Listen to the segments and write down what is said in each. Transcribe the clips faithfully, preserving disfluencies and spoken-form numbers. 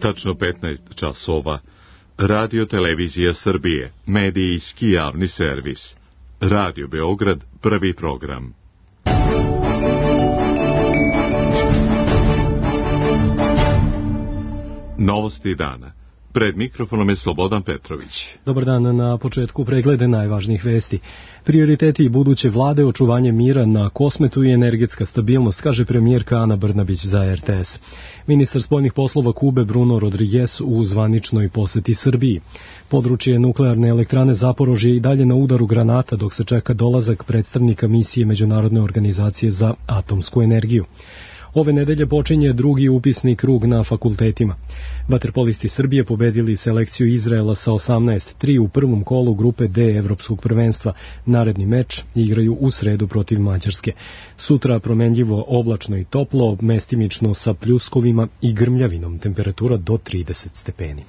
Tačno petnaest časova. Radio Televizija Srbije, medijski javni servis. Radio Beograd, prvi program. Novosti dana. Pred mikrofonom je Slobodan Petrović. Dobar dan, na početku preglede najvažnijih vesti. Prioriteti buduće vlade, očuvanje mira na Kosmetu i energetska stabilnost, kaže premijerka Ana Brnabić za R T S. Ministar spoljnih poslova Kube Bruno Rodriguez u zvaničnoj poseti Srbiji. Područje nuklearne elektrane Zaporožje i dalje na udaru granata dok se čeka dolazak predstavnika misije Međunarodne organizacije za atomsku energiju. Ove nedelje počinje drugi upisni krug na fakultetima. Vaterpolisti Srbije pobedili selekciju Izraela sa osamnaest tri u prvom kolu grupe D Evropskog prvenstva. Naredni meč igraju u sredu protiv Mađarske. Sutra promenljivo oblačno i toplo, mestimično sa pljuskovima i grmljavinom, temperatura do trideset stepeni.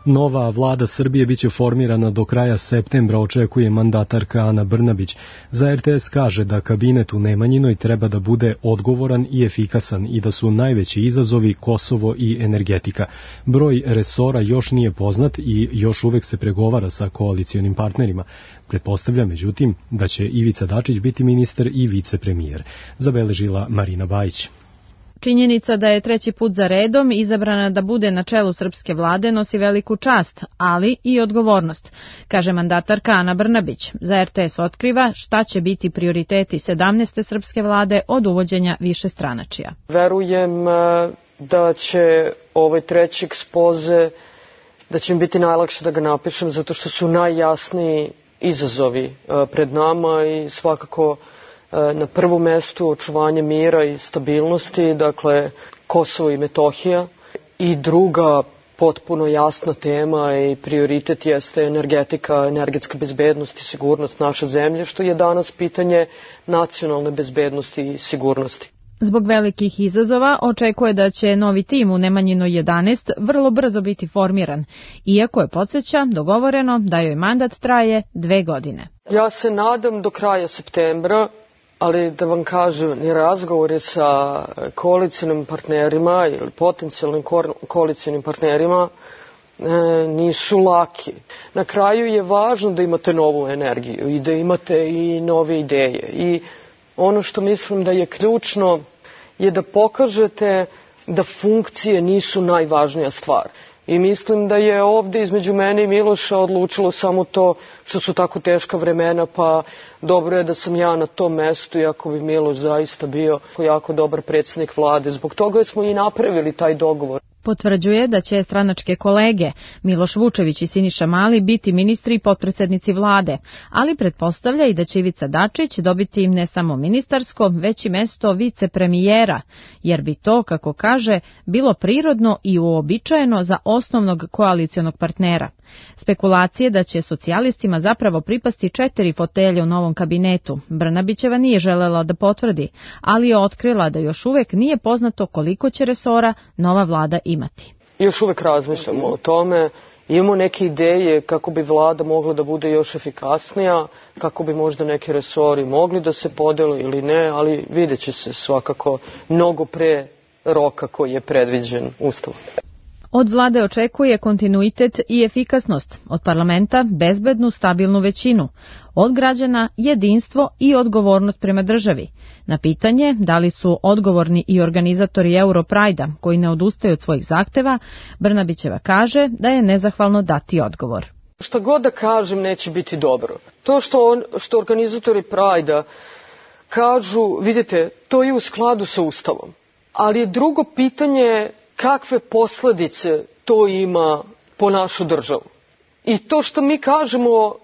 Nova vlada Srbije biće formirana do kraja septembra, očekuje mandatarka Ana Brnabić. Za R T S kaže da kabinet u Nemanjinoj treba da bude odgovoran i efikasan i da su najveći izazovi Kosovo i energetika. Broj resora još nije poznat i još uvek se pregovara sa koalicionim partnerima. Pretpostavlja, međutim, da će Ivica Dačić biti ministar i vicepremijer, zabeležila Marina Bajić. Činjenica da je treći put za redom izabrana da bude na čelu srpske vlade nosi veliku čast, ali i odgovornost, kaže mandatarka Ana Brnabić. Za R T S otkriva šta će biti prioriteti sedamnaeste srpske vlade od uvođenja višestranačja. Verujem da će ovaj treći ekspoze, da će mi biti najlakše da ga napišem zato što su najjasniji izazovi pred nama i svakako na prvom mestu očuvanje mira i stabilnosti, dakle Kosovo i Metohija, i druga potpuno jasna tema i prioritet jeste energetika, energetska bezbednost i sigurnost naše zemlje, što je danas pitanje nacionalne bezbednosti i sigurnosti. Zbog velikih izazova očekuje da će novi tim u Nemanjinoj jedanaest vrlo brzo biti formiran, iako je, podsjeća, dogovoreno da joj mandat traje dve godine. Ja se nadam do kraja septembra, ali da vam kažem, ni razgovori sa koalicionim partnerima ili potencijalnim koalicionim partnerima e, nisu laki. Na kraju je važno da imate novu energiju i da imate i nove ideje. I ono što mislim da je ključno je da pokažete da funkcije nisu najvažnija stvar. I mislim da je ovde između mene i Miloša odlučilo samo to što su tako teška vremena, pa dobro je da sam ja na tom mestu, iako bi Miloš zaista bio jako dobar predsjednik vlade. Zbog toga smo i napravili taj dogovor. Potvrđuje da će stranačke kolege Miloš Vučević i Siniša Mali biti ministri i potpredsednici vlade, ali pretpostavlja i da će Ivica Dačić dobiti im ne samo ministarsko, već i mesto vicepremijera, jer bi to, kako kaže, bilo prirodno i uobičajeno za osnovnog koalicionog partnera. Spekulacije da će socijalistima zapravo pripasti četiri fotelje u novom kabinetu Brnabićeva nije želela da potvrdi, ali je otkrila da još uvek nije poznato koliko će resora nova vlada imati. Još uvek razmišljamo o tome, imamo neke ideje kako bi vlada mogla da bude još efikasnija, kako bi možda neki resori mogli da se podele ili ne, ali vidjet će se svakako mnogo pre roka koji je predviđen Ustavom. Od vlade očekuje kontinuitet i efikasnost, od parlamenta bezbednu, stabilnu većinu, od građana jedinstvo i odgovornost prema državi. Na pitanje da li su odgovorni i organizatori Europrajda koji ne odustaju od svojih zahteva, Brnabićeva kaže da je nezahvalno dati odgovor. Šta god da kažem neće biti dobro. To što, on, što organizatori Prajda kažu, vidite, to je u skladu sa Ustavom. Ali je drugo pitanje kakve posledice to ima po našu državu. I to što mi kažemo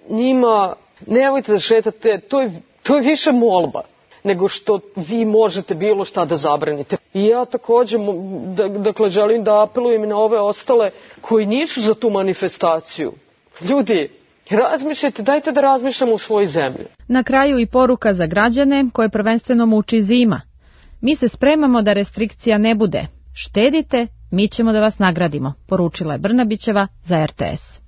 njima, nemojte da šetate, to je, to je više molba nego što vi možete bilo šta da zabranite. I ja također, dakle, želim da apelujem i na ove ostale koji nisu za tu manifestaciju. Ljudi, razmišljajte, dajte da razmišljamo u svojoj zemlji. Na kraju i poruka za građane koje prvenstveno muči zima. Mi se spremamo da restrikcija ne bude. Štedite, mi ćemo da vas nagradimo, poručila je Brnabićeva za R T S.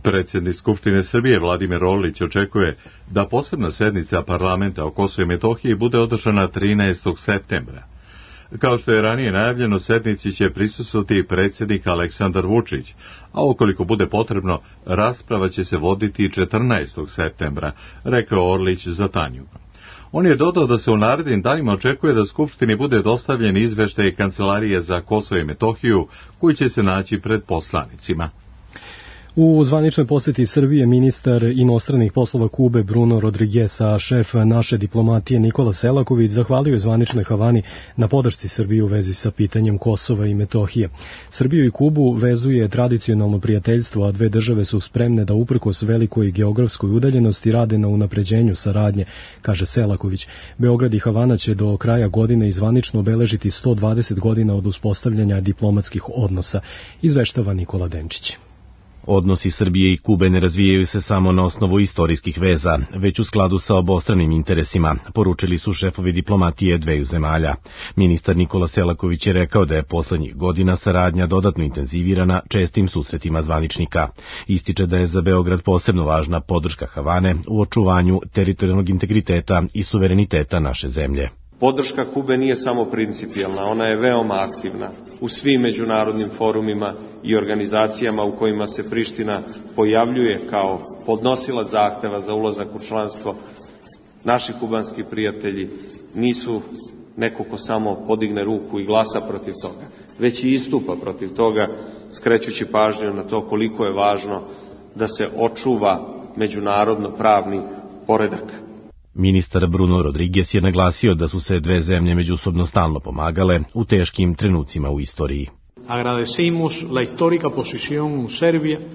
Predsjednik Skupštine Srbije Vladimir Orlić očekuje da posebna sednica parlamenta o Kosovu i Metohiji bude održana trinaestog septembra. Kao što je ranije najavljeno, sednici će prisustvovati predsjednik Aleksandar Vučić, a ukoliko bude potrebno, rasprava će se voditi četrnaestog septembra, rekao Orlić za Tanju. On je dodao da se u narednim danima očekuje da Skupštini bude dostavljen izveštaj Kancelarije za Kosovo i Metohiju, koji će se naći pred poslanicima. U zvaničnoj posjeti Srbije ministar inostranih poslova Kube Bruno Rodriguez, a šef naše diplomatije Nikola Selaković zahvalio je zvaničnoj Havani na podršci Srbije u vezi sa pitanjem Kosova i Metohije. Srbiju i Kubu vezuje tradicionalno prijateljstvo, a dve države su spremne da uprkos velikoj geografskoj udaljenosti rade na unapređenju saradnje, kaže Selaković. Beograd i Havana će do kraja godine izvanično obeležiti sto dvadeset godina od uspostavljanja diplomatskih odnosa, izveštava Nikola Denčić. Odnosi Srbije i Kube ne razvijaju se samo na osnovu istorijskih veza, već u skladu sa obostranim interesima, poručili su šefovi diplomatije dveju zemalja. Ministar Nikola Selaković je rekao da je poslednjih godina saradnja dodatno intenzivirana čestim susretima zvaničnika. Ističe da je za Beograd posebno važna podrška Havane u očuvanju teritorijalnog integriteta i suvereniteta naše zemlje. Podrška Kube nije samo principijelna, ona je veoma aktivna u svim međunarodnim forumima i organizacijama u kojima se Priština pojavljuje kao podnosilac zahteva za ulazak u članstvo. Naši kubanski prijatelji nisu neko ko samo podigne ruku i glasa protiv toga, već i istupa protiv toga, skrećući pažnju na to koliko je važno da se očuva međunarodno pravni poredak. Ministar Bruno Rodriguez je naglasio da su se dve zemlje međusobno stalno pomagale u teškim trenucima u istoriji.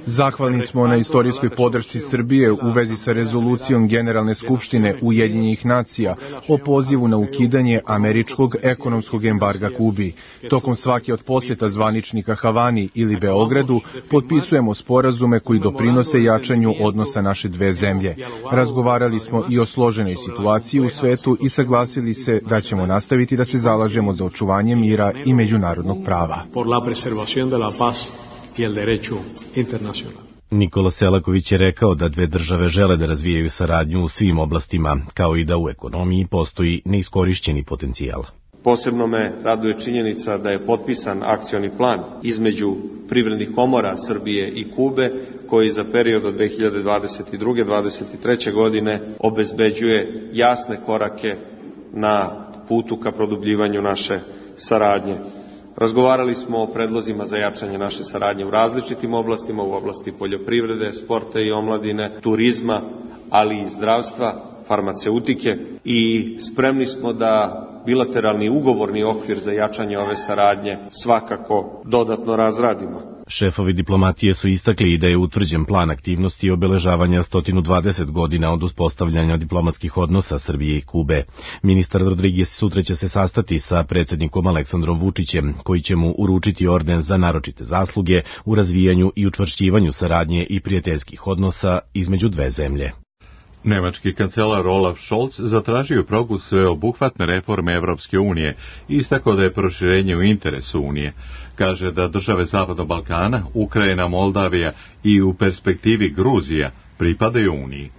Zahvalni smo na istorijskoj podršci Srbije u vezi sa rezolucijom Generalne skupštine Ujedinjenih nacija o pozivu na ukidanje američkog ekonomskog embarga Kubi. Tokom svake od posjeta zvaničnika Havani ili Beogradu potpisujemo sporazume koji doprinose jačanju odnosa naše dve zemlje. Razgovarali smo i o složenoj situaciji u svetu i saglasili se da ćemo nastaviti da se zalažemo za očuvanje mira i međunarodnog prava. preservación de la paz y el derecho internacional. Nikola Selaković je rekao da dve države žele da razvijaju saradnju u svim oblastima, kao i da u ekonomiji postoji neiskorišćeni potencijal. Posebno me raduje činjenica da je potpisan akcioni plan između privrednih komora Srbije i Kube, koji za period od dve hiljade dvadeset druge do dvadeset treće godine obezbeđuje jasne korake na putu ka produbljivanju naše saradnje. Razgovarali smo o predlozima za jačanje naše saradnje u različitim oblastima, u oblasti poljoprivrede, sporta i omladine, turizma, ali i zdravstva, farmaceutike i spremni smo da bilateralni ugovorni okvir za jačanje ove saradnje svakako dodatno razradimo. Šefovi diplomatije su istakli da je utvrđen plan aktivnosti obeležavanja sto dvadeset godina od uspostavljanja diplomatskih odnosa Srbije i Kube. Ministar Rodriguez sutra će se sastati sa predsjednikom Aleksandrom Vučićem, koji će mu uručiti orden za naročite zasluge u razvijanju i učvršćivanju saradnje i prijateljskih odnosa između dve zemlje. Nemački kancelar Olaf Scholz zatražio progu sveobuhvatne reforme Evropske unije i istakao da je proširenje u interesu Unije. Kaže da države Zapadnog Balkana, Ukrajina, Moldavija i u perspektivi Gruzija pripadaju Uniji.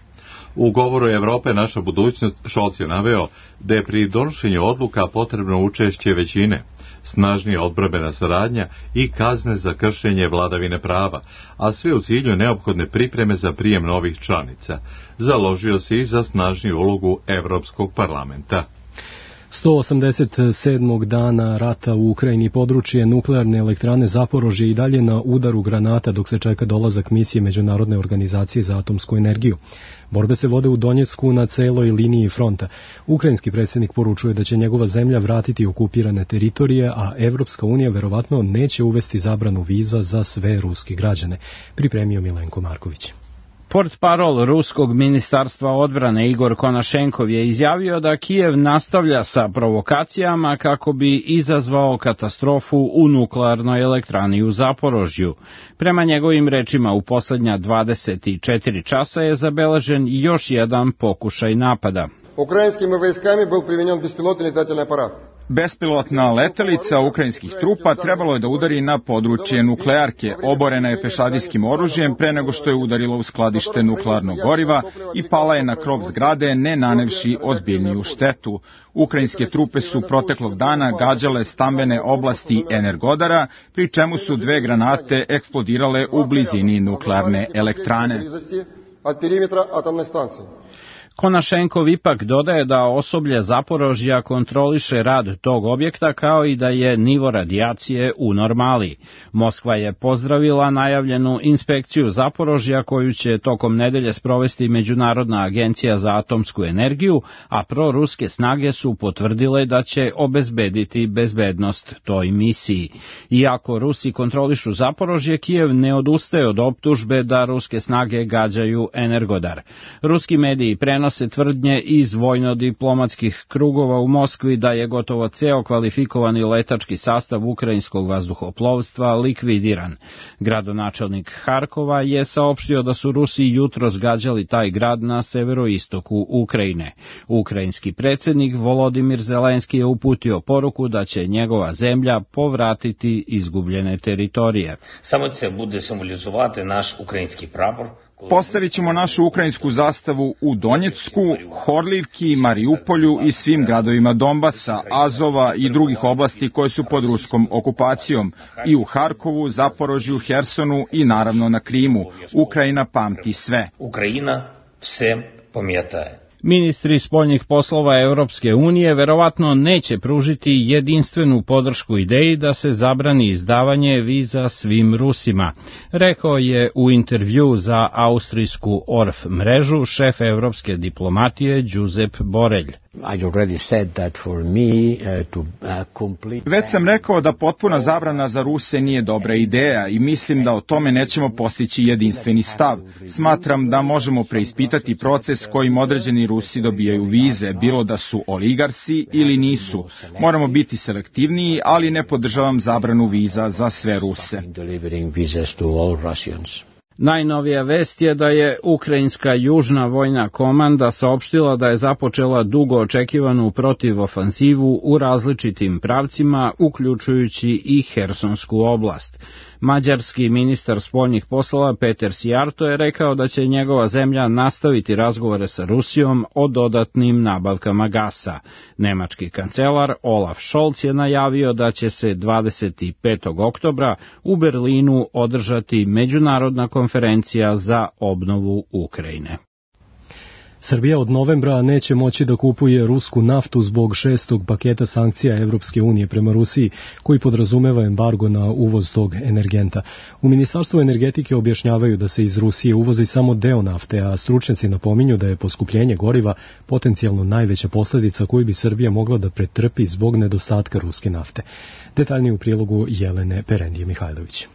U govoru Evrope naša budućnost Scholz je naveo da je pri donošenju odluka potrebno učešće većine, snažnija odbrambena saradnja i kazne za kršenje vladavine prava, a sve u cilju neophodne pripreme za prijem novih članica. Založio se i za snažniju ulogu Evropskog parlamenta. sto osamdeset sedmog dana rata u Ukrajini područje nuklearne elektrane Zaporožje i dalje na udaru granata dok se čeka dolazak misije Međunarodne organizacije za atomsku energiju. Borbe se vode u Donjecku na celoj liniji fronta. Ukrajinski predsjednik poručuje da će njegova zemlja vratiti okupirane teritorije, a Evropska unija verovatno neće uvesti zabranu viza za sve ruske građane, pripremio Milenko Marković. Portparol ruskog ministarstva odbrane Igor Konašenkov je izjavio da Kijev nastavlja sa provokacijama kako bi izazvao katastrofu u nuklearnoj elektrani u Zaporožju. Prema njegovim rečima, u poslednja dvadeset četiri časa je zabeležen još jedan pokušaj napada. Ukrajinskim vojskama bil primenjen bespilotni letalni aparat. Bespilotna letelica ukrajinskih trupa trebalo je da udari na područje nuklearke. Oborena je pešadijskim oružjem pre nego što je udarila u skladište nuklearnog goriva i pala je na krov zgrade, ne nanevši ozbiljniju štetu. Ukrajinske trupe su proteklog dana gađale stambene oblasti Energodara, pri čemu su dve granate eksplodirale u blizini nuklearne elektrane. Konašenkov ipak dodaje da osoblje Zaporožja kontroliše rad tog objekta kao i da je nivo radijacije u normali. Moskva je pozdravila najavljenu inspekciju Zaporožja koju će tokom nedelje sprovesti Međunarodna agencija za atomsku energiju, a proruske snage su potvrdile da će obezbediti bezbednost toj misiji. Iako Rusi kontrolišu Zaporožje, Kijev ne odustaje od optužbe da ruske snage gađaju Energodar. Ruski mediji prenose se tvrdnje iz vojno-diplomatskih krugova u Moskvi da je gotovo ceo kvalifikovani letački sastav ukrajinskog vazduhoplovstva likvidiran. Gradonačelnik Harkova je saopštio da su Rusi jutro zgađali taj grad na severoistoku Ukrajine. Ukrajinski predsjednik Volodimir Zelenski je uputio poruku da će njegova zemlja povratiti izgubljene teritorije. Samo će se bude simbolizovati naš ukrajinski prapor. Postavit ćemo našu ukrajinsku zastavu u Donjecku, Horlivki, Mariupolju i svim gradovima Donbasa, Azova i drugih oblasti koje su pod ruskom okupacijom, i u Harkovu, Zaporožju, Hersonu i naravno na Krimu. Ukrajina pamti sve. Ukrajina sve pamjetaje. Ministri spoljnih poslova Europske unije verovatno neće pružiti jedinstvenu podršku ideji da se zabrani izdavanje viza svim Rusima, rekao je u intervju za austrijsku Orf mrežu šef evropske diplomatije Josep Borrell. Već sam rekao da potpuna zabrana za Ruse nije dobra ideja i mislim da o tome nećemo postići jedinstveni stav. Smatram da možemo preispitati proces kojim određeni Rusi dobijaju vize, bilo da su oligarsi ili nisu. Moramo biti selektivniji, ali ne podržavam zabranu viza za sve Ruse. Najnovija vest je da je ukrajinska južna vojna komanda saopštila da je započela dugo očekivanu protivofanzivu u različitim pravcima, uključujući i Hersonsku oblast. Mađarski ministar spoljnih poslova Peter Sijarto je rekao da će njegova zemlja nastaviti razgovore sa Rusijom o dodatnim nabavkama gasa. Nemački kancelar Olaf Scholz je najavio da će se dvadeset petog oktobra u Berlinu održati međunarodna konferencija za obnovu Ukrajine. Srbija od novembra neće moći da kupuje rusku naftu zbog šestog paketa sankcija Evropske unije prema Rusiji, koji podrazumeva embargo na uvoz tog energenta. U Ministarstvu energetike objašnjavaju da se iz Rusije uvozi samo deo nafte, a stručnjaci napominju da je poskupljenje goriva potencijalno najveća posljedica koju bi Srbija mogla da pretrpi zbog nedostatka ruske nafte. Detaljnije u prilogu Jelene Perendije Mihajlović.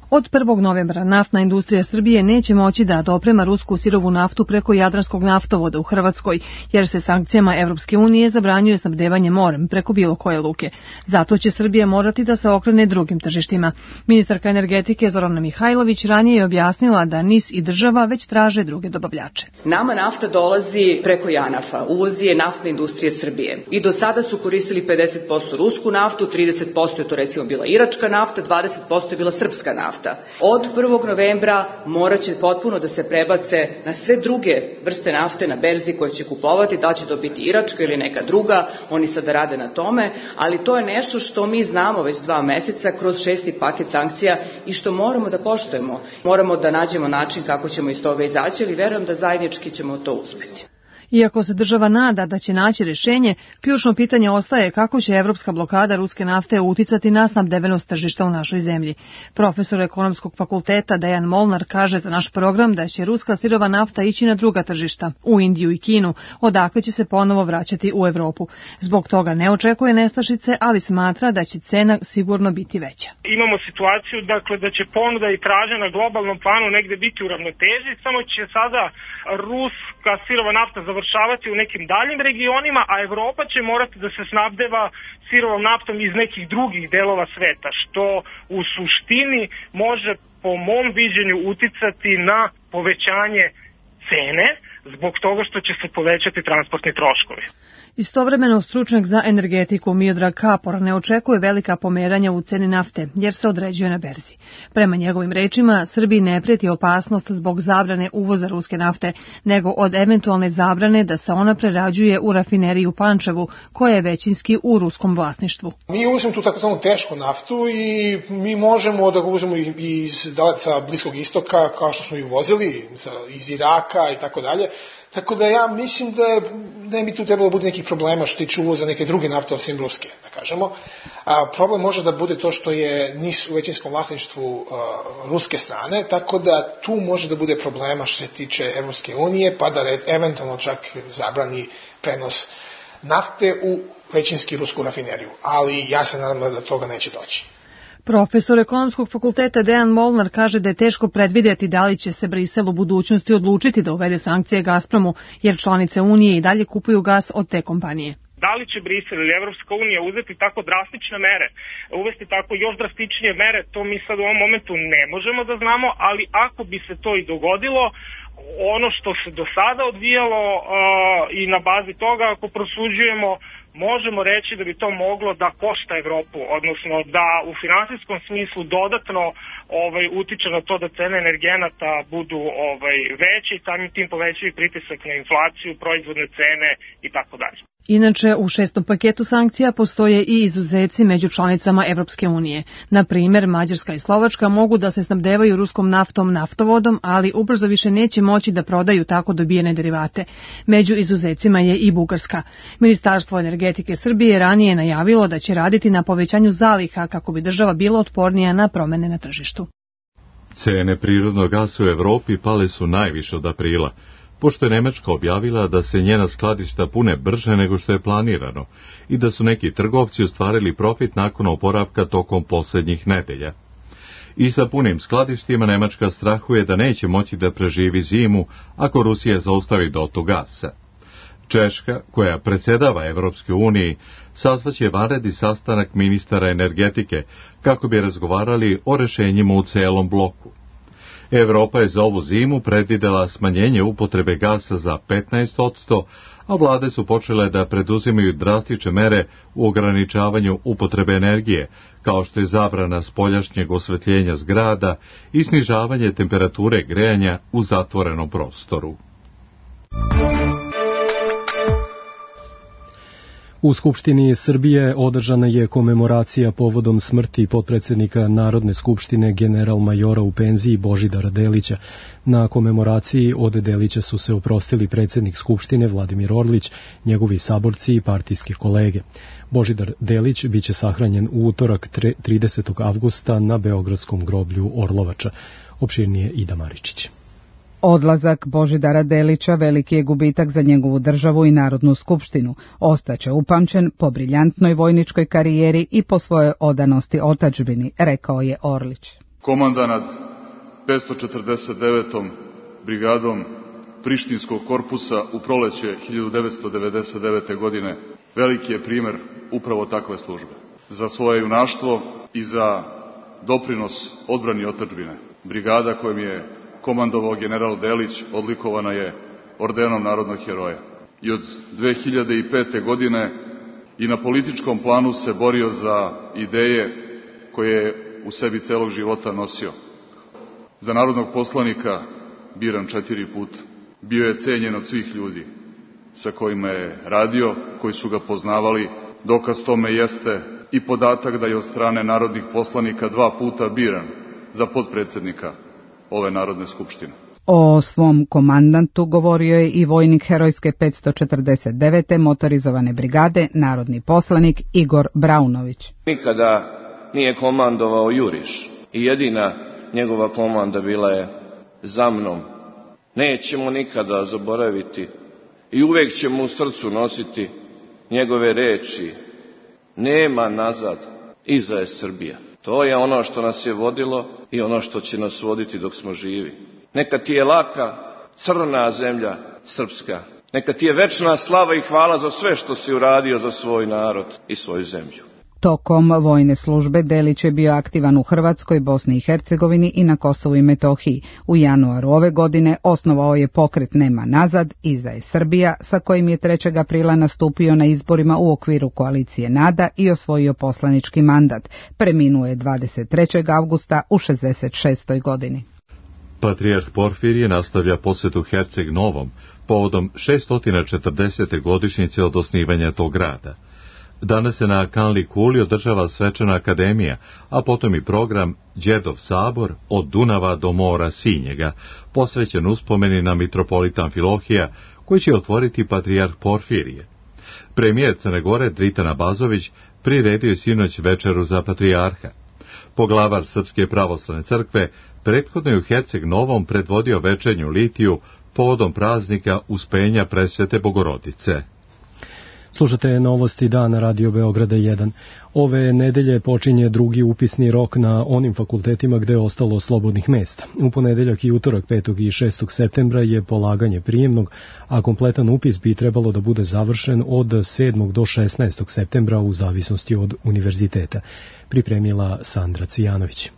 Od prvog novembra naftna industrija Srbije neće moći da doprema rusku sirovu naftu preko Jadranskog naftovoda u Hrvatskoj, jer se sankcijama Evropske unije zabranjuje snabdevanje morem preko bilo koje luke. Zato će Srbija morati da se okrene drugim tržištima. Ministarka energetike Zorana Mihajlović ranije je objasnila da N I S i država već traže druge dobavljače. Nama nafta dolazi preko Janafa, uvozi je naftna industrija Srbije. I do sada su koristili pedeset posto rusku naftu, trideset posto je to recimo bila iračka nafta, dvadeset posto je bila srpska nafta. Od prvog novembra morat će potpuno da se prebace na sve druge vrste nafte na berzi koje će kupovati, da će to biti iračka ili neka druga, oni sada rade na tome, ali to je nešto što mi znamo već dva meseca kroz šesti paket sankcija i što moramo da poštujemo. Moramo da nađemo način kako ćemo iz toga izaći, ali verujem da zajednički ćemo to uspjeti. Iako se država nada da će naći rješenje, ključno pitanje ostaje kako će evropska blokada ruske nafte uticati na snabdevenost tržišta u našoj zemlji. Profesor ekonomskog fakulteta Dejan Molnar kaže za naš program da će ruska sirova nafta ići na druga tržišta, u Indiju i Kinu, odakle će se ponovo vraćati u Evropu. Zbog toga ne očekuje nestašice, ali smatra da će cena sigurno biti veća. Imamo situaciju dakle, da će ponuda i tražnja na globalnom planu negde biti u ravnoteži, samo će sada ruska sirova nafta završavati u nekim daljim regionima, a Evropa će morati da se snabdeva sirovom naftom iz nekih drugih delova sveta, što u suštini može po mom viđenju uticati na povećanje cene zbog toga što će se povećati transportni troškovi. Istovremeno, stručnjak za energetiku Miodrag Kapor ne očekuje velika pomeranja u ceni nafte, jer se određuje na berzi. Prema njegovim rečima, Srbiji ne prijeti opasnost zbog zabrane uvoza ruske nafte, nego od eventualne zabrane da se ona prerađuje u rafineriji u Pančevu, koja je većinski u ruskom vlasništvu. Mi uvozimo tu takozvanu tešku naftu i mi možemo da ga uvozimo iz sa Bliskog istoka, kao što smo i uvozili, iz Iraka i tako dalje. Tako da ja mislim da je, ne bi tu trebalo bude nekih problema što tiče uvoza neke druge nafte osim ruske, da kažemo. A, problem može da bude to što je N I S u većinskom vlasništvu a, ruske strane, tako da tu može da bude problema što se tiče Evropske unije, pa da red, eventualno čak zabrani prenos nafte u većinski rusku rafineriju. Ali ja se nadam da do toga neće doći. Profesor ekonomskog fakulteta Dejan Molnar kaže da je teško predvidjeti da li će se Brisel u budućnosti odlučiti da uvede sankcije Gazpromu, jer članice Unije i dalje kupuju gas od te kompanije. Da li će Brisel ili Evropska unija uzeti tako drastične mere, uvesti tako još drastičnije mere, to mi sad u ovom momentu ne možemo da znamo, ali ako bi se to i dogodilo, ono što se do sada odvijalo uh, i na bazi toga, ako prosuđujemo, možemo reći da bi to moglo da košta Evropu, odnosno da u finansijskom smislu dodatno ovaj, utiče na to da cene energenata budu ovaj, veće i samim tim povećaju pritisak na inflaciju, proizvodne cene i tako dalje. Inače, u šestom paketu sankcija postoje i izuzeci među članicama Evropske unije. Na primjer, Mađarska i Slovačka mogu da se snabdevaju ruskom naftom naftovodom, ali ubrzo više neće moći da prodaju tako dobijene derivate. Među izuzecima je i Bugarska. Ministarstvo energetike Srbije ranije najavilo da će raditi na povećanju zaliha kako bi država bila otpornija na promene na tržištu. Cene prirodnog gasa u Evropi pale su najviše od aprila, pošto je Nemačka objavila da se njena skladišta pune brže nego što je planirano i da su neki trgovci ostvarili profit nakon oporavka tokom posljednjih nedelja. I sa punim skladištima Nemačka strahuje da neće moći da preživi zimu ako Rusija zaustavi dotok gasa. Češka, koja predsjedava Evropskoj uniji, sazvaće vanredni sastanak ministara energetike kako bi razgovarali o rešenjima u celom bloku. Evropa je za ovu zimu predvidela smanjenje upotrebe gasa za petnaest posto, a vlade su počele da preduzimaju drastične mere u ograničavanju upotrebe energije, kao što je zabrana spoljašnjeg osvetljenja zgrada i snižavanje temperature grejanja u zatvorenom prostoru. U Skupštini Srbije održana je komemoracija povodom smrti potpredsjednika Narodne skupštine general-majora u penziji Božidara Delića. Na komemoraciji od Delića su se oprostili predsjednik Skupštine Vladimir Orlić, njegovi saborci i partijski kolege. Božidar Delić biće sahranjen u utorak tridesetog avgusta na Beogradskom groblju Orlovača. Opširnije Ida Maričić. Odlazak Božidara Delića veliki je gubitak za njegovu državu i Narodnu skupštinu. Ostaće upamćen po briljantnoj vojničkoj karijeri i po svojoj odanosti otadžbini, rekao je Orlić. Komanda nad petsto četrdeset devetom brigadom Prištinskog korpusa u proleće hiljadu devetsto devedeset devete. godine veliki je primer upravo takve službe. Za svoje junaštvo i za doprinos odbrani otadžbine. Brigada kojom je komandovao general Delić odlikovana je ordenom narodnog heroja. I od dve hiljade pete. godine i na političkom planu se borio za ideje koje je u sebi celog života nosio. Za narodnog poslanika biran četiri puta. Bio je cenjen od svih ljudi sa kojima je radio, koji su ga poznavali. Dokaz tome jeste i podatak da je od strane narodnih poslanika dva puta biran za potpredsjednika ove Narodne skupštine. O svom komandantu govorio je i vojnik herojske petsto četrdeset devete. motorizovane brigade, narodni poslanik Igor Braunović. Nikada nije komandovao juriš i jedina njegova komanda bila je za mnom. Nećemo nikada zaboraviti i uvek ćemo u srcu nositi njegove reči: nema nazad, iza je Srbija. To je ono što nas je vodilo i ono što će nas voditi dok smo živi. Neka ti je laka, crna zemlja srpska. Neka ti je večna slava i hvala za sve što si uradio za svoj narod i svoju zemlju. Tokom vojne službe Delić je bio aktivan u Hrvatskoj, Bosni i Hercegovini i na Kosovu i Metohiji. U januaru ove godine osnovao je pokret Nema nazad, Iza je Srbija, sa kojim je trećeg aprila nastupio na izborima u okviru koalicije NADA i osvojio poslanički mandat. Preminuo je dvadeset trećeg avgusta u šezdeset šestoj godini. Patrijarh Porfirije nastavlja posjetu Herceg Novom povodom šesto četrdesete godišnjice od osnivanja tog grada. Danas se na Kanli Kuli održava svečana akademija, a potom i program Đerdov sabor od Dunava do mora Sinjega, posvećen uspomeni na mitropolita Amfilohija, koji će otvoriti patrijarh Porfirije. Premijer Crne Gore Dritan Abazović priredio je sinoć večeru za patrijarha. Poglavar Srpske pravoslavne crkve prethodno je u Herceg Novom predvodio večernju litiju povodom praznika Uspenja Presvete Bogorodice. Slušate novosti dana Radio Beograda jedan. Ove nedelje počinje drugi upisni rok na onim fakultetima gde je ostalo slobodnih mesta. U ponedeljak i utorak petog i šestog septembra je polaganje prijemnog, a kompletan upis bi trebalo da bude završen od sedmog do šesnaestog septembra u zavisnosti od univerziteta. Pripremila Sandra Cvijanović.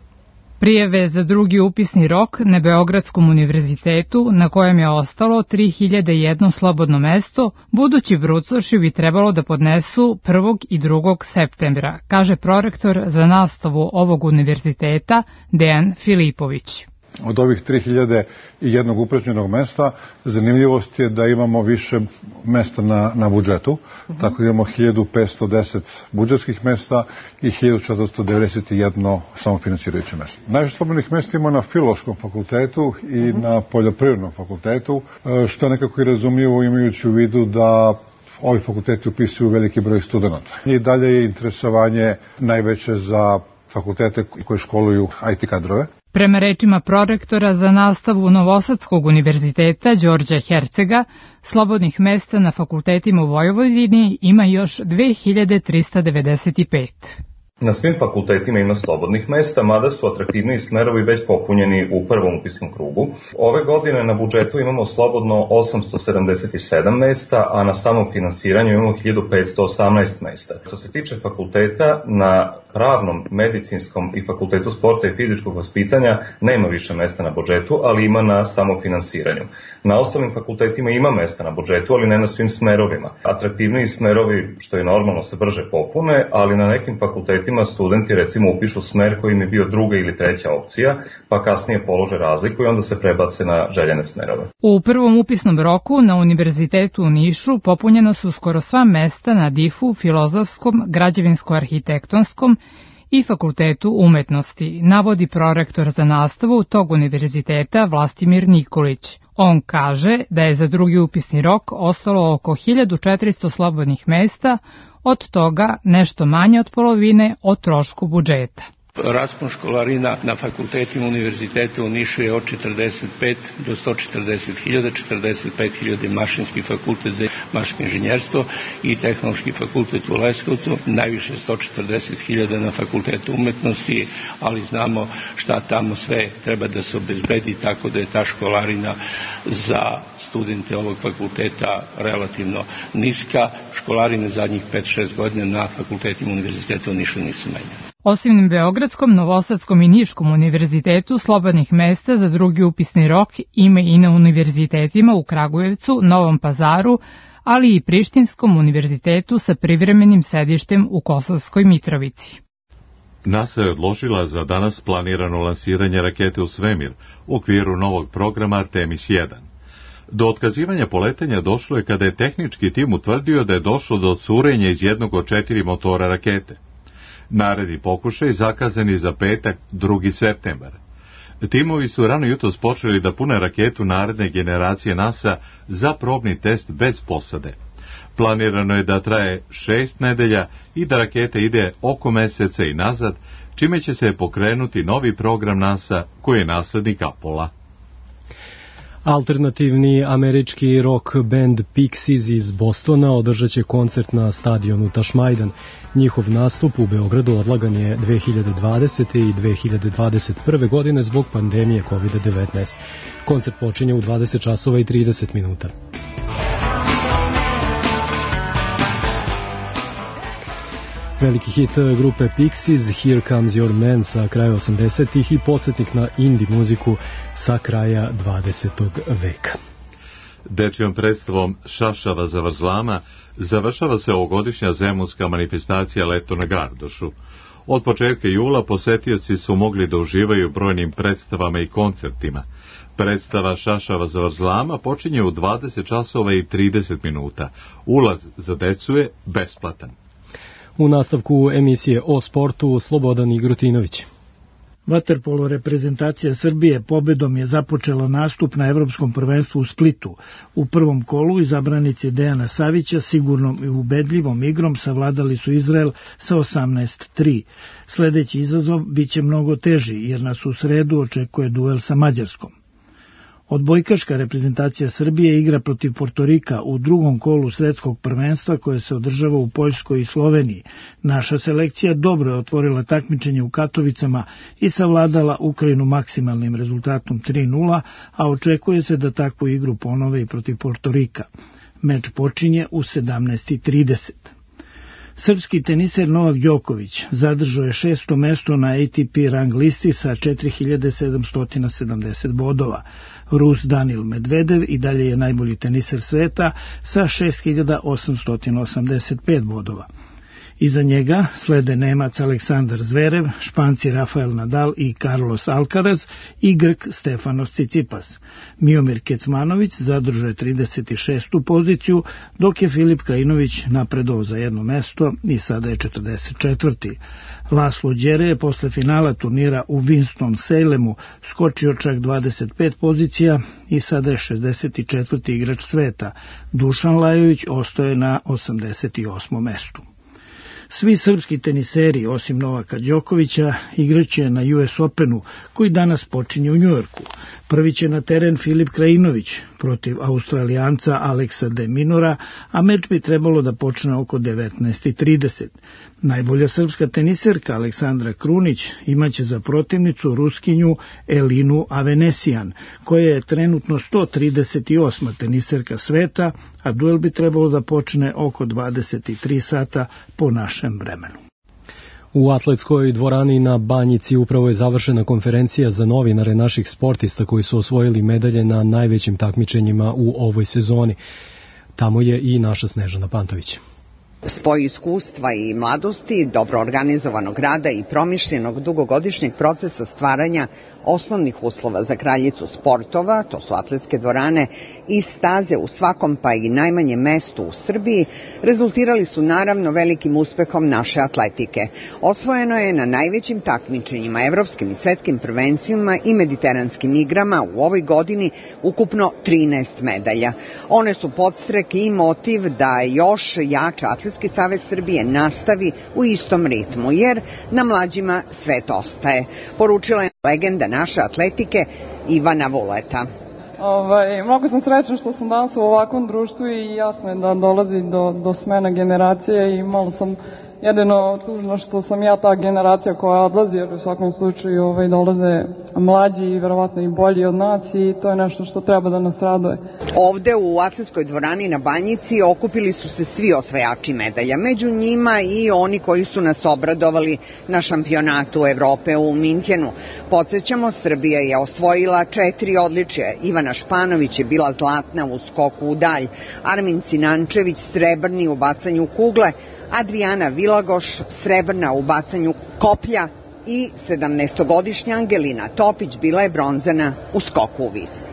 Prijave za drugi upisni rok na Beogradskom univerzitetu, na kojem je ostalo tri hiljade jedan slobodno mesto, budući brucoši bi trebalo da podnesu prvog i drugog septembra, kaže prorektor za nastavu ovog univerziteta Dejan Filipović. Od ovih tri hiljade jedan upražnjenog mesta, zanimljivost je da imamo više mesta na, na budžetu, uh-huh. Tako imamo hiljadu petsto deset budžetskih mesta i hiljadu četiristo devedeset jedan samofinansirajuće mesta. Najviše slobodnih mesta imamo na Filološkom fakultetu i uh-huh. na Poljoprivrednom fakultetu, što je nekako i razumljivo imajući u vidu da ovi fakulteti upisuju veliki broj studenta. I dalje je interesovanje najveće za fakultete koje školuju I T kadrove. Prema rečima prorektora za nastavu Novosadskog univerziteta Đorđa Hercega, slobodnih mesta na fakultetima u Vojvodini ima još dve hiljade trista devedeset pet. Na svim fakultetima ima slobodnih mesta, mada su atraktivniji smerovi već popunjeni u prvom upisnom krugu. Ove godine na budžetu imamo slobodno osamsto sedamdeset sedam mesta, a na samom finansiranju imamo hiljadu petsto osamnaest mesta. Što se tiče fakulteta, na pravnom, medicinskom i fakultetu sporta i fizičkog vaspitanja nema više mesta na budžetu, ali ima na samofinansiranju. Na ostalim fakultetima ima mesta na budžetu, ali ne na svim smerovima. Atraktivniji smerovi, što je normalno, se brže popune, ali na nekim fakultetima studenti recimo upišu smer koji im je bio druga ili treća opcija, pa kasnije polože razliku i onda se prebace na željene smerove. U prvom upisnom roku na Univerzitetu u Nišu popunjeno su skoro sva mesta na difu, filozofskom, građevinsko-arhitektonskom i Fakultetu umetnosti, navodi prorektor za nastavu tog univerziteta Vlastimir Nikolić. On kaže da je za drugi upisni rok ostalo oko hiljadu četiristo slobodnih mesta, od toga nešto manje od polovine o trošku budžeta. Raspon školarina na fakultetima univerziteta u Nišu je od četrdeset pet do sto četrdeset hiljada, četrdeset pet hiljada mašinski fakultet za mašinsko inženjerstvo i tehnološki fakultet u Leskovcu, najviše sto četrdeset hiljada na fakultetu umetnosti, ali znamo šta tamo sve treba da se obezbedi, tako da je ta školarina za studente ovog fakulteta relativno niska. Školarine zadnjih pet šest godina na fakultetima univerziteta u Nišu nisu menjene. Osim na Beogradskom, Novosadskom i Niškom univerzitetu, slobodnih mesta za drugi upisni rok ima i na univerzitetima u Kragujevcu, Novom Pazaru, ali i Prištinskom univerzitetu sa privremenim sedištem u Kosovskoj Mitrovici. NASA je odložila za danas planirano lansiranje rakete u svemir u okviru novog programa Artemis jedan. Do otkazivanja poletanja došlo je kada je tehnički tim utvrdio da je došlo do curenja iz jednog od četiri motora rakete. Naredni pokušaj zakazani za petak, drugi septembar. Timovi su rano jutros počeli da pune raketu naredne generacije NASA za probni test bez posade. Planirano je da traje šest nedelja i da raketa ide oko meseca i nazad, čime će se pokrenuti novi program NASA koji je naslednik Apola. Alternativni američki rock band Pixies iz Bostona održat će koncert na stadionu Tašmajdan. Njihov nastup u Beogradu odlagan je dve hiljade dvadesete i dve hiljade dvadeset prve godine zbog pandemije kovid devetnaest. Koncert počinje u dvadeset časova i trideset minuta. Veliki hit grupe Pixies, Here Comes Your Man sa kraja osamdesetih i podsjetnik na indie muziku sa kraja dvadesetog veka. Dečijom predstavom Šašava zavrzlama završava se ovogodišnja zemunska manifestacija Leto na Gardošu. Od početka jula posetioci su mogli da uživaju brojnim predstavama i koncertima. Predstava Šašava zavrzlama počinje u dvadeset časova i trideset minuta. Ulaz za decu je besplatan. U nastavku emisije o sportu Slobodan Igrutinović. Vaterpolo reprezentacija Srbije pobedom je započela nastup na Evropskom prvenstvu u Splitu. U prvom kolu izabranici Dejana Savića sigurnom i ubedljivom igrom savladali su Izrael sa osamnaest tri. Sledeći izazov biće mnogo teži jer nas u sredu očekuje duel sa Mađarskom. Odbojkaška reprezentacija Srbije igra protiv Portorika u drugom kolu svetskog prvenstva koje se održava u Poljskoj i Sloveniji. Naša selekcija dobro je otvorila takmičenje u Katovicama i savladala Ukrajinu maksimalnim rezultatom tri nula, a očekuje se da takvu igru ponove i protiv Portorika. Meč počinje u sedamnaest trideset. Srpski teniser Novak Đoković zadržao je šesto mesto na A T P rang listi sa četiri hiljade sedamsto sedamdeset bodova. Rus Danil Medvedev i dalje je najbolji teniser sveta sa šest hiljada osamsto osamdeset pet bodova. Iza njega slede Nemac Aleksandar Zverev, Španci Rafael Nadal i Carlos Alcaraz i Grk Stefanos Tsitsipas. Miomir Kecmanović zadržao je trideset šestu poziciju, dok je Filip Krajinović napredovao za jedno mesto i sada je četrdeset četvrti. Laslo Đere je posle finala turnira u Winston-Salemu skočio čak dvadeset pet pozicija i sada je šezdeset četvrti igrač sveta. Dušan Lajović ostaje na osamdeset osmom mestu. Svi srpski teniseri, osim Novaka Đokovića, igraće na U S Openu, koji danas počinje u Njujorku. Prvi će na teren Filip Krajinović protiv Australijanca Aleksa de Minora, a meč bi trebalo da počne oko devetnaest trideset. Najbolja srpska teniserka Aleksandra Krunić imaće za protivnicu Ruskinju Elinu Avenesijan, koja je trenutno sto trideset osma teniserka sveta, a duel bi trebalo da počne oko dvadeset tri sata po našem vremenu. U atletskoj dvorani na Banjici upravo je završena konferencija za novinare naših sportista koji su osvojili medalje na najvećim takmičenjima u ovoj sezoni. Tamo je i naša Snežana Pantović. Spoj iskustva i mladosti, dobro organizovanog rada i promišljenog dugogodišnjeg procesa stvaranja osnovnih uslova za kraljicu sportova, to su atletske dvorane i staze u svakom pa i najmanjem mestu u Srbiji, rezultirali su naravno velikim uspehom naše atletike. Osvojeno je na najvećim takmičenjima, evropskim i svetskim prvenstvima i mediteranskim igrama u ovoj godini ukupno trinaest medalja. One su podstrek i motiv da još jače Atletski savez Srbije nastavi u istom ritmu, jer na mlađima svet ostaje, poručila je legenda naše atletike Ivana Vuleta. Ovaj, mnogo sam srećna što sam danas u ovakvom društvu i jasno je da dolazi do, do smena generacije i malo sam jedino tužno što sam ja ta generacija koja odlazi, jer u svakom slučaju ovaj, dolaze mlađi i verovatno i bolji od nas i to je nešto što treba da nas raduje. Ovde u atletskoj dvorani na Banjici okupili su se svi osvajači medalja, među njima i oni koji su nas obradovali na šampionatu Evrope u Minhenu. Podsjećamo, Srbija je osvojila četiri odličja. Ivana Španović je bila zlatna u skoku u dalj, Armin Sinančević srebrni u bacanju kugle, Adriana Vilagoš srebrna u bacanju koplja i sedamnaestogodišnja Angelina Topić bila je bronzana u skoku u vis.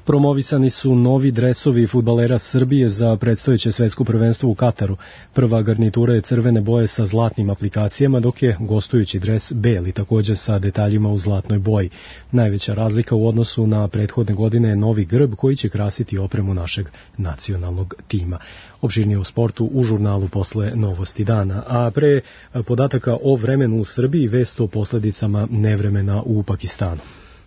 Promovisani su novi dresovi fudbalera Srbije za predstojeće svetsko prvenstvo u Kataru. Prva garnitura je crvene boje sa zlatnim aplikacijama, dok je gostujući dres beli, takođe sa detaljima u zlatnoj boji. Najveća razlika u odnosu na prethodne godine je novi grb koji će krasiti opremu našeg nacionalnog tima. Opširnije u sportu u žurnalu posle Novosti dana. A pre podataka o vremenu u Srbiji, vest o posledicama nevremena u Pakistanu.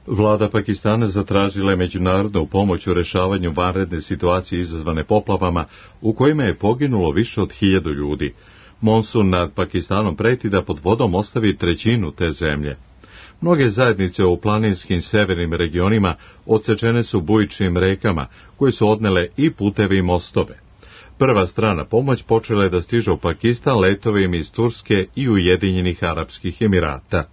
Vlada Pakistana zatražila je međunarodnu pomoć u rešavanju vanredne situacije izazvane poplavama u kojima je poginulo više od hiljadu ljudi. Monsun nad Pakistanom preti da pod vodom ostavi trećinu te zemlje. Mnoge zajednice u planinskim severnim regionima odsečene su bujičnim rekama koje su odnele i puteve i mostove. Prva strana pomoć počela je da stiže u Pakistan letovima iz Turske i Ujedinjenih Arapskih Emirata.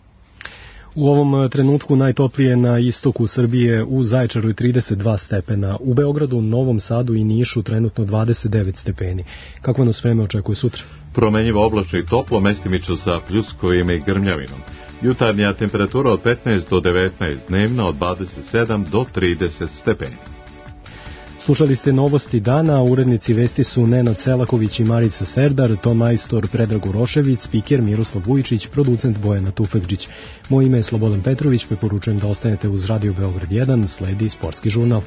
U ovom trenutku najtoplije na istoku Srbije, u Zaječaru je trideset dva stepena, u Beogradu, Novom Sadu i Nišu trenutno dvadeset devet stepeni. Kako nas vreme očekuje sutra? Promenjivo oblačno i toplo, mestimično sa pljuskovima i grmljavinom. Jutarnja temperatura od petnaest do devetnaest, dnevna od dvadeset sedam do trideset stepeni. Slušali ste novosti dana, urednici vesti su Nenad Selaković i Marica Serdar, ton majstor Predrag Urošević, spiker Miroslav Vujičić, producent Bojana Tufekđić. Moje ime je Slobodan Petrović, preporučujem da ostanete uz Radio Beograd jedan, sledi sportski žurnal.